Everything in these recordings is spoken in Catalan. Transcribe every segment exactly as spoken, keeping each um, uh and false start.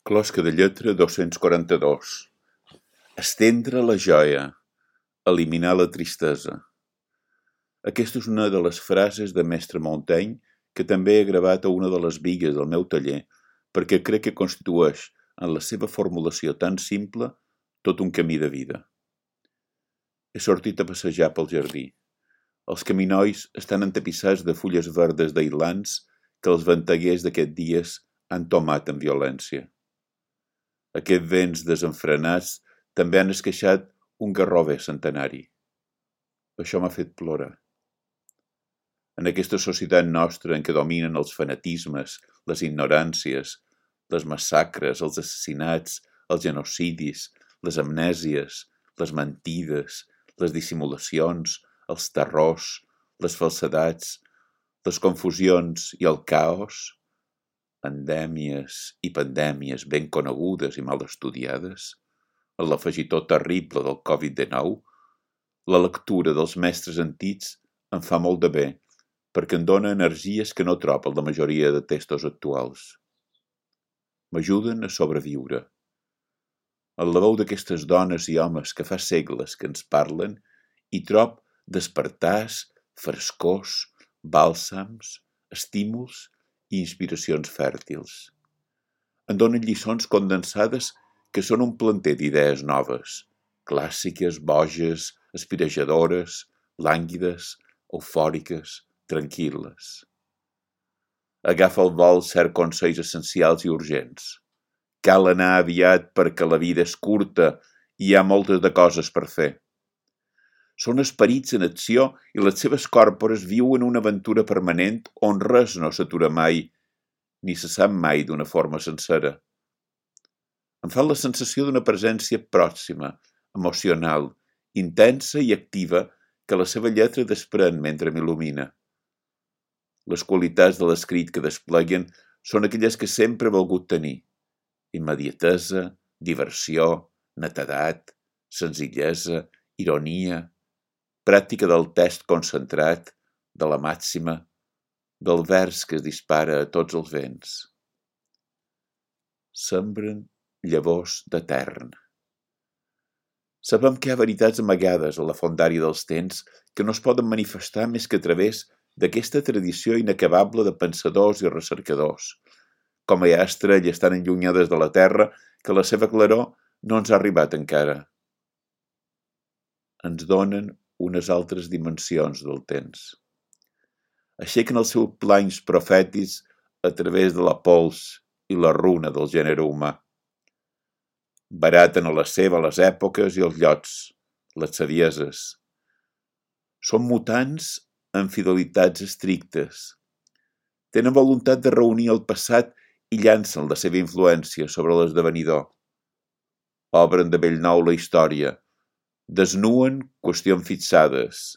Closca de lletra dos-cents quaranta-dos. Estendre la joia, eliminar la tristesa. Aquesta és una de les frases de mestre Montaigne que també he gravat a una de les bigues del meu taller perquè crec que constitueix, en la seva formulació tan simple, tot un camí de vida. He sortit a passejar pel jardí. Els caminois estan entapissats de fulles verdes d'ailants que els venteguers d'aquests dies han tomat amb violència. Aquests vents desenfrenats també han esqueixat un garrover centenari. Això m'ha fet plorar. En aquesta societat nostra en què dominen els fanatismes, les ignoràncies, les massacres, els assassinats, els genocidis, les amnèsies, les mentides, les dissimulacions, els terrors, les falsedats, les confusions i el caos, endèmies i pandèmies ben conegudes i mal estudiades, en l'afegitó terrible del covid dinou, la lectura dels mestres antics em fa molt de bé, perquè em dóna energies que no trobo en la majoria de textos actuals. M'ajuden a sobreviure. En la veu d'aquestes dones i homes que fa segles que ens parlen, hi trob despertars, frescors, bàlsams, estímuls i inspiracions fèrtils. Em donen lliçons condensades que són un planter d'idees noves, clàssiques, boges, aspirejadores, lànguides, eufòriques, tranquil·les. Agafa al vol cert consells essencials i urgents. Cal anar aviat perquè la vida és curta i hi ha moltes de coses per fer. Són esperits en acció i les seves còrpores viuen una aventura permanent on res no s'atura mai, ni se sap mai d'una forma sencera. Em fa la sensació d'una presència pròxima, emocional, intensa i activa que la seva lletra desprèn mentre m'il·lumina. Les qualitats de l'escrit que despleguen són aquelles que sempre he volgut tenir. Immediatesa, diversió, netedat, senzillesa, ironia, pràctica del text concentrat, de la màxima, del vers que es dispara a tots els vents. Sembren llavors d'etern. Sabem que hi ha veritats amagades a la fondària dels temps que no es poden manifestar més que a través d'aquesta tradició inacabable de pensadors i recercadors, com hi ha estrelles tan enllunyades de la Terra que la seva claror no ens ha arribat encara. Ens donen unes altres dimensions del temps. Aixequen els seus planys profètics a través de la pols i la runa del gènere humà. Baraten a la seva les èpoques i els llocs, les savieses. Són mutants amb fidelitats estrictes. Tenen voluntat de reunir el passat i llancen la seva influència sobre l'esdevenidor. Obren de bell nou la història, desnuen qüestions fixades,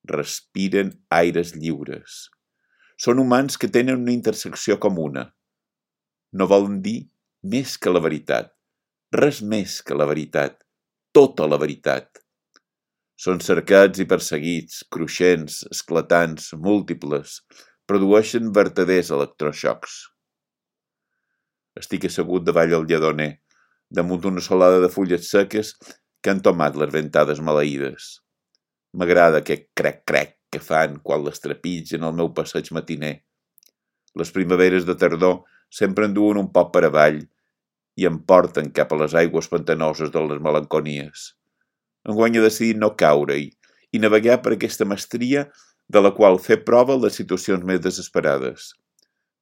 respiren aires lliures. Són humans que tenen una intersecció comuna. No volen dir més que la veritat, res més que la veritat, tota la veritat. Són cercats i perseguits, cruixents, esclatants, múltiples, produeixen vertaders electroxocs. Estic assegut davall el lledoner, damunt d'una solada de fulles seques que han tomat les ventades maleïdes. M'agrada aquest crec-crec que fan quan les trepitgen al meu passeig matiner. Les primaveres de tardor sempre enduen un poc per avall i em porten cap a les aigües pantanoses de les melanconies. Enguany he decidit no caure-hi i navegar per aquesta mestria de la qual fer prova les situacions més desesperades.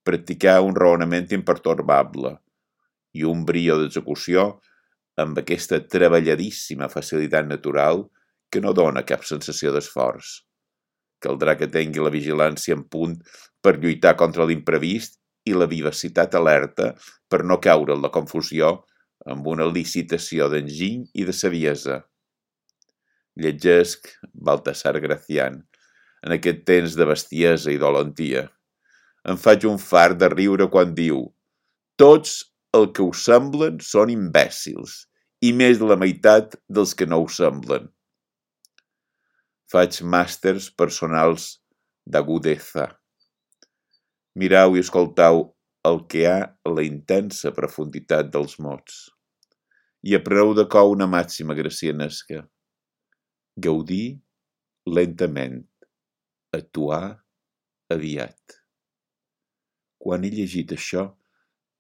Practicar un raonament impertorbable i un brio d'execució amb aquesta treballadíssima facilitat natural que no dona cap sensació d'esforç. Caldrà que tingui la vigilància en punt per lluitar contra l'imprevist i la vivacitat alerta per no caure en la confusió amb una licitació d'enginy i de saviesa. Llegesc Baltasar Gracián en aquest temps de bestiesa i dolentia. Em faig un fart de riure quan diu: tots el que ho semblen són imbècils, i més de la meitat dels que no ho semblen. Faig màsters personals d'agudesa. Mirau i escoltau el que ha a la intensa profunditat dels mots. I a preu de cou una màxima gracianesca. Gaudir lentament, actuar aviat. Quan he llegit això,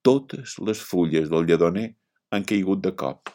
totes les fulles del lledoner han caigut de cop.